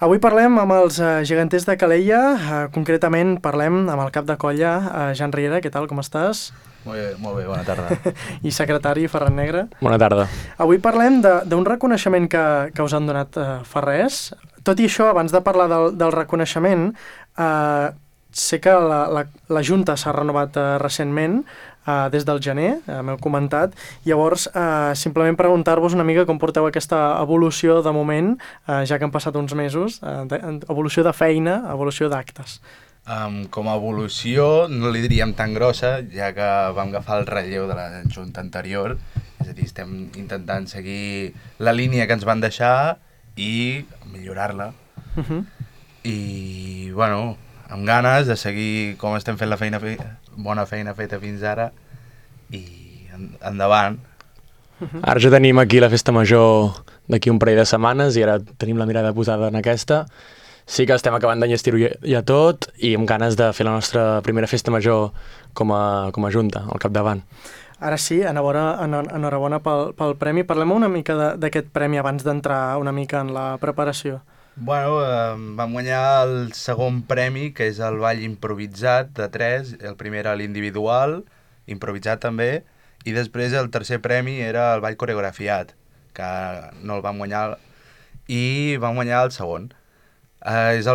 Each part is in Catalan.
Avui parlem amb els geganters de Calella, concretament parlem amb el cap de colla, Jan Riera. Què tal, com estàs? Molt bé, bona tarda. I secretari, Ferran Negre. Bona tarda. Avui parlem d'un reconeixement que us han donat fa res. Tot i això, abans de parlar del reconeixement, sé que la Junta s'ha renovat recentment, des del gener, m'heu comentat. Llavors, simplement preguntar-vos una mica com porteu aquesta evolució de moment, ja que han passat uns mesos, evolució de feina, evolució d'actes. Com a evolució no li diríem tan grossa, ja que vam agafar el relleu de la Junta anterior, és a dir, estem intentant seguir la línia que ens van deixar i millorar-la. I, bueno, amb ganes de seguir com estem fent la bona feina feta fins ara i endavant. Ara ja tenim aquí la festa major d'aquí un parell de setmanes i ara tenim la mirada posada en aquesta. Sí que estem acabant d'enllestir-ho ja tot i amb ganes de fer la nostra primera festa major com a Junta, al capdavant. Ara sí, enhorabona pel premi. Parlem una mica d'aquest premi abans d'entrar una mica en la preparació. Bueno, vam guanyar el segon premi, que és el ball improvisat de 3, el primer era l'individual, improvisat també, i després el tercer premi era el ball coreografiat, que no el vam guanyar, i vam guanyar el segon. És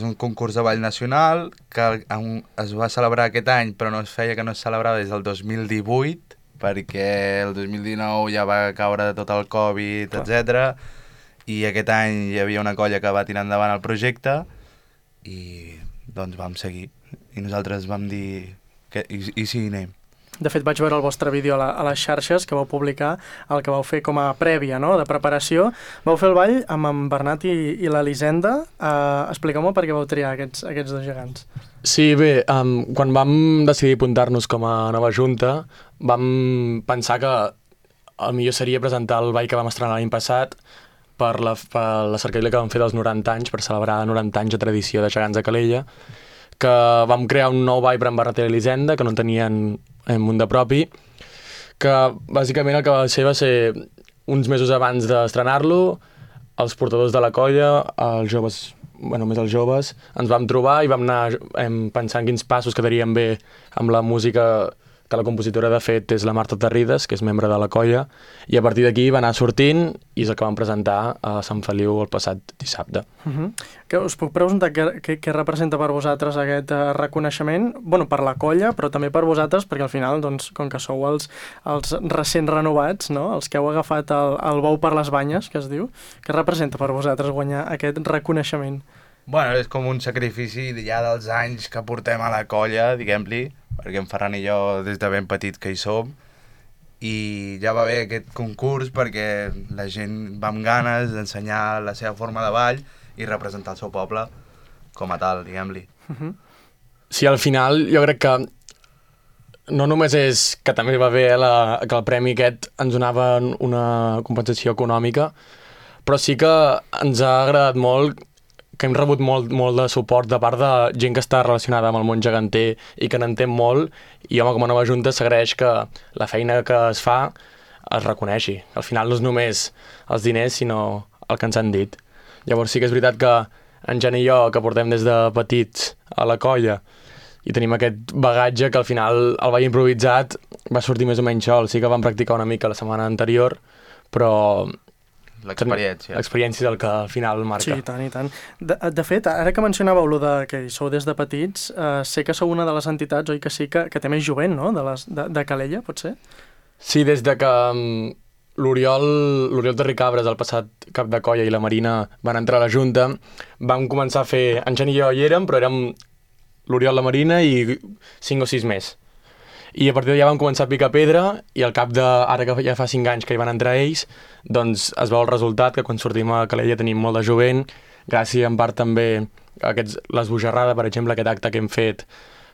un concurs de ball nacional que es va celebrar aquest any, però no es feia que no es celebrava des del 2018, perquè el 2019 ja va caure de tot el Covid, etc. I aquest any hi havia una colla que va tirar endavant el projecte i doncs vam seguir. I nosaltres vam dir que i sí, anem. De fet, vaig veure el vostre vídeo a les xarxes que vau publicar, el que vau fer com a prèvia, no?, de preparació. Vau fer el ball amb en Bernat i l'Elisenda. Expliqueu-me per què vau triar aquests dos gegants. Sí, bé, quan vam decidir apuntar-nos com a nova Junta, vam pensar que el millor seria presentar el ball que vam estrenar l'any passat per la cercavila que vam fer dels 90 anys, per celebrar 90 anys de tradició de gegants de Calella, que vam crear un nou ball per en Bernat i l'Elisenda, que no tenien un de propi, que bàsicament el que va ser uns mesos abans d'estrenar-lo, els portadors de la colla, els joves, més els joves, ens vam trobar i vam anar pensant quins passos quedarien bé amb la música que la compositora de fet és la Marta Terrides, que és membre de la colla, i a partir d'aquí va anar sortint i és el que vam presentar a Sant Feliu el passat dissabte. Que us puc preguntar què representa per vosaltres aquest reconeixement? Bueno, per la colla, però també per vosaltres, perquè al final, doncs, com que sou els recents renovats, no?, els que heu agafat el bou per les banyes, que es diu, què representa per vosaltres guanyar aquest reconeixement? Bueno, és com un sacrifici ja dels anys que portem a la colla, diguem-li, perquè en Ferran i jo des de ben petit que hi som, i ja va bé aquest concurs perquè la gent va amb ganes d'ensenyar la seva forma de ball i representar el seu poble com a tal, diguem-li. Sí, al final jo crec que no només és que també va bé que el premi aquest ens donava una compensació econòmica, però sí que ens ha agradat molt que hem rebut molt de suport de part de gent que està relacionada amb el món geganter i que n'entén molt, i home, com a nova Junta s'agraeix que la feina que es fa es reconeixi. Al final no és només els diners, sinó el que ens han dit. Llavors sí que és veritat que en Jan i jo, que portem des de petits a la colla, i tenim aquest bagatge que al final el ball improvisat va sortir més o menys sol. Sí que vam practicar una mica la setmana anterior, però l'experiència és el que al final marca. Sí, i tant. De fet, ara que mencionàveu que sou des de petits, sé que sou una de les entitats, oi que sí, que té més jovent, no?, de Calella, pot ser? Sí, des de que l'Oriol Terricabres, el passat cap de colla, i la Marina van entrar a la Junta, vam començar a fer... En Jan i jo hi érem, però érem l'Oriol, la Marina i 5 o 6 més. I a partir d'allà vam començar a picar pedra i al cap de, ara que ja fa 5 anys que hi van entrar ells, doncs es veu el resultat, que quan sortim a Calella tenim molt de jovent, gràcies en part també a l'Esbojarrada, per exemple, aquest acte que hem fet,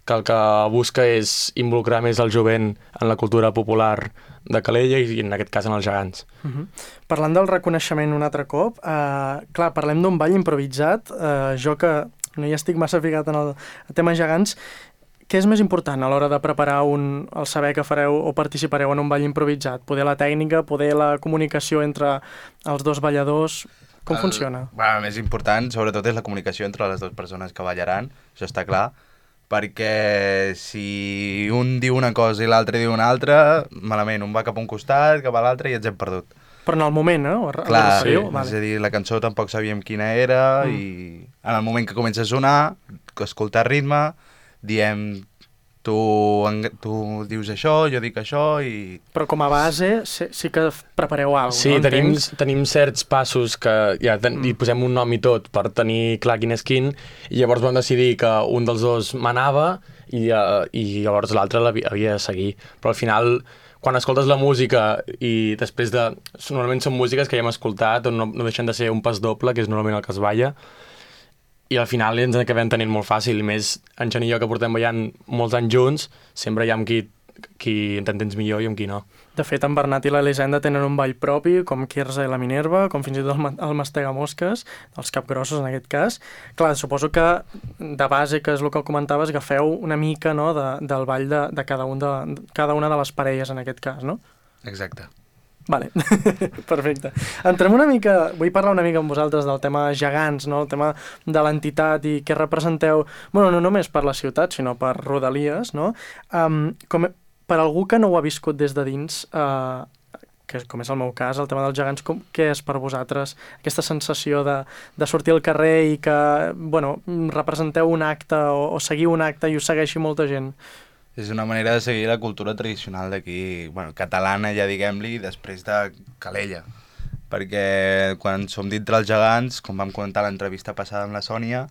que el que busca és involucrar més el jovent en la cultura popular de Calella i en aquest cas en els gegants. Parlant del reconeixement un altre cop, clar, parlem d'un ball improvisat, jo que no hi estic massa ficat en el tema gegants. Què és més important a l'hora de preparar el saber que fareu o participareu en un ball improvisat? Poder la tècnica, poder la comunicació entre els dos balladors? Com funciona? El més important, sobretot, és la comunicació entre les dues persones que ballaran, això està clar, perquè si un diu una cosa i l'altre diu una altra, malament, un va cap a un costat, cap a l'altre i ens hem perdut. Però en el moment, Clar, sí. És a dir, la cançó tampoc sabíem quina era i en el moment que comença a sonar, que escoltar ritme, diem tu dius això, jo dic això i... Però com a base sí que prepareu alguna cosa, sí, no? tenim certs passos que ja hi posem un nom i tot per tenir clar quin és quin, i llavors vam decidir que un dels dos manava i llavors l'altre havia de seguir. Però al final, quan escoltes la música i després de... Normalment són músiques que ja hem escoltat o no deixen de ser un pas doble, que és normalment el que es balla, i al final ens acabem tenint molt fàcil, i més en Jan i jo que portem ballant molts anys junts, sempre hi ha amb qui t'entens millor i amb qui no. De fet, en Bernat i l'Elisenda tenen un ball propi, com Quirze i la Minerva, com fins i tot el Mastegamosques, els capgrossos en aquest cas. Clar, suposo que de base, que és el que comentaves, agafeu una mica, no, del ball de cada una de les parelles en aquest cas, no? Exacte. Vale, perfecte. Entrem una mica, vull parlar una mica amb vosaltres del tema gegants, no? El tema de l'entitat i què representeu, bueno, no només per la ciutat, sinó per Rodalies, no? Per algú que no ho ha viscut des de dins, que com és el meu cas, el tema dels gegants, què és per vosaltres aquesta sensació de sortir al carrer i que, bueno, representeu un acte o seguiu un acte i us segueixi molta gent? És una manera de seguir la cultura tradicional d'aquí, bueno, catalana ja diguem-li, després de Calella. Perquè quan som dintre els gegants, com vam comentar a l'entrevista passada amb la Sònia,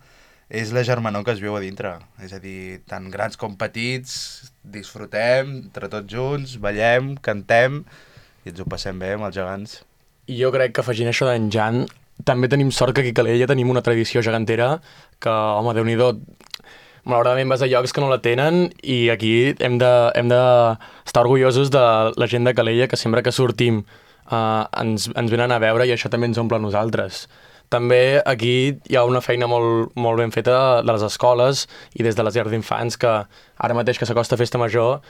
és la germanor que es viu a dintre. És a dir, tant grans com petits, disfrutem entre tots junts, ballem, cantem i ens ho passem bé amb els gegants. I jo crec que afegint això d'en Jan, també tenim sort que aquí a Calella tenim una tradició gegantera que, home, Déu-n'hi-do, malauradament vas a llocs que no la tenen i aquí hem d'estar orgullosos de la gent de Calella, que sempre que sortim ens venen a veure i això també ens omple a nosaltres. També aquí hi ha una feina molt, molt ben feta de les escoles i des de les llars d'infants, que ara mateix que s'acosta Festa Major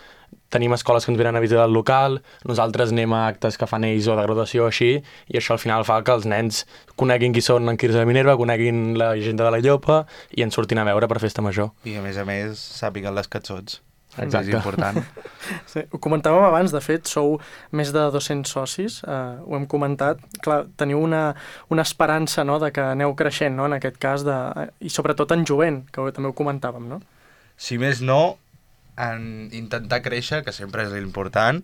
tenim escoles que ens venen a visitar el local, nosaltres anem a actes que fan ells o de graduació o així, i això al final fa que els nens coneguin qui són en Quirze de Minerva, coneguin la gent de la Llopa i ens surtin a veure per Festa Major. I a més sàpiguen les cançons. Exacte. És important. Sí, ho comentàvem abans, de fet, sou més de 200 socis, ho hem comentat. Clar, teniu una esperança, no?, de que aneu creixent, no?, en aquest cas, i sobretot en jovent, que també ho comentàvem, no? Si més no, en intentar créixer, que sempre és l'important,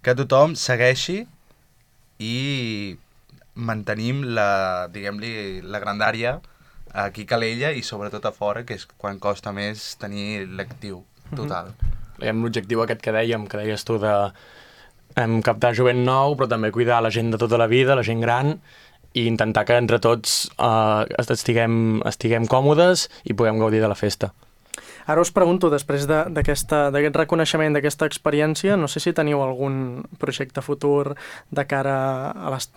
que tothom segueixi i mantenim diguem-li, la grandària aquí a Calella i sobretot a fora, que és quan costa més tenir l'actiu total. L'objectiu aquest que deies tu de captar jovent nou, però també cuidar la gent de tota la vida, la gent gran, i intentar que entre tots estiguem còmodes i puguem gaudir de la festa. Ara us pregunto, després d'aquest reconeixement, d'aquesta experiència, no sé si teniu algun projecte futur de cara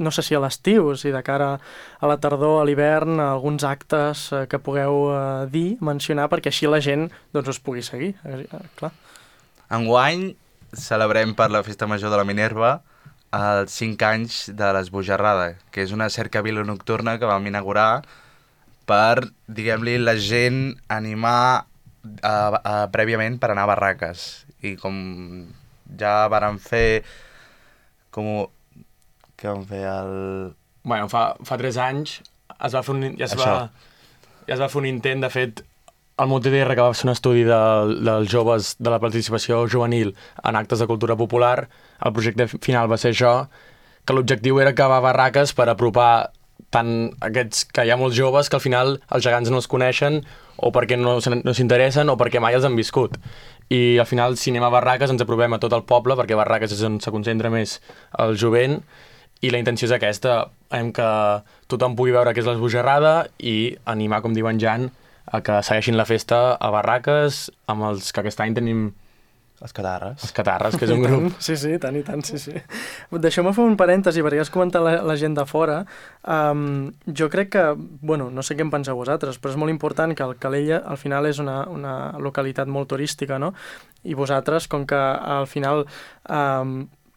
no sé si a l'estiu, si de cara a la tardor, a l'hivern, alguns actes que pugueu mencionar, perquè així la gent doncs, us pugui seguir. Clar. Enguany celebrem per la Festa Major de la Minerva els 5 anys de l'Esbojarrada, que és una cercavila nocturna que vam inaugurar per, diguem-li, la gent animar prèviament per anar a barraques. I com ja vàrem fer què vam fer Bueno, fa 3 anys ja es va fer un intent. De fet, el MUTDR, que va fer un estudi dels joves, de la participació juvenil en actes de cultura popular, el projecte final va ser això, que l'objectiu era acabar barraques per apropar tant aquests que hi ha molts joves que al final els gegants no els coneixen o perquè no s'interessen o perquè mai els han viscut. I al final, si anem a barraques, ens aprovem a tot el poble, perquè barraques és on se concentra més el jovent, i la intenció és aquesta, que tothom pugui veure què és l'Esbojarrada i animar, com diu en Jan, a que segueixin la festa a barraques, amb els que aquest any tenim Els Catarres. Els Catarres, que és un grup. Sí, tant i tant, sí. Deixeu-me fer un parèntesi, perquè has comentat la gent de fora. Jo crec que, bueno, no sé què en penseu vosaltres, però és molt important que el Calella al final és una localitat molt turística, no? I vosaltres, com que al final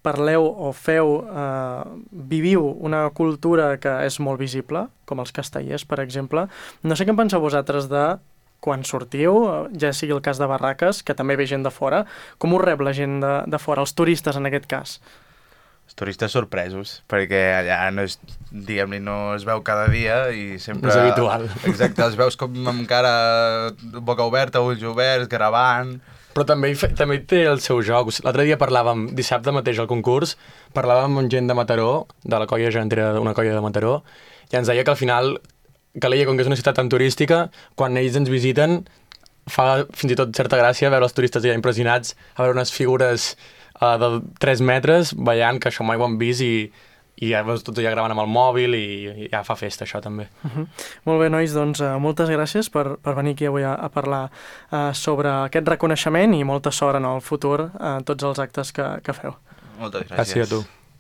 parleu o feu, viviu una cultura que és molt visible, com els castellers, per exemple. No sé què en penseu vosaltres de quan sortiu, ja sigui el cas de Barraques, que també ve gent de fora, com us rep la gent de fora, els turistes en aquest cas? Els turistes sorpresos, perquè allà no es, diguem-ne, no es veu cada dia i sempre... No és habitual. Exacte, els veus com amb cara boca oberta, ulls oberts, gravant... Però també té el seu joc. L'altre dia parlàvem, dissabte mateix al concurs, parlàvem amb gent de Mataró, de la colla gegantera d'una colla de Mataró, i ens deia que al final Calella, com que és una ciutat tan turística, quan ells ens visiten, fa fins i tot certa gràcia veure els turistes ja impressionats, a veure unes figures de 3 metres ballant, que això mai ho han vist, i ja veus tots allà gravant amb el mòbil i ja fa festa, això també. Molt bé, nois, doncs moltes gràcies per venir aquí avui a parlar sobre aquest reconeixement i molta sort en el futur a tots els actes que feu. Moltes gràcies. Gràcies a tu.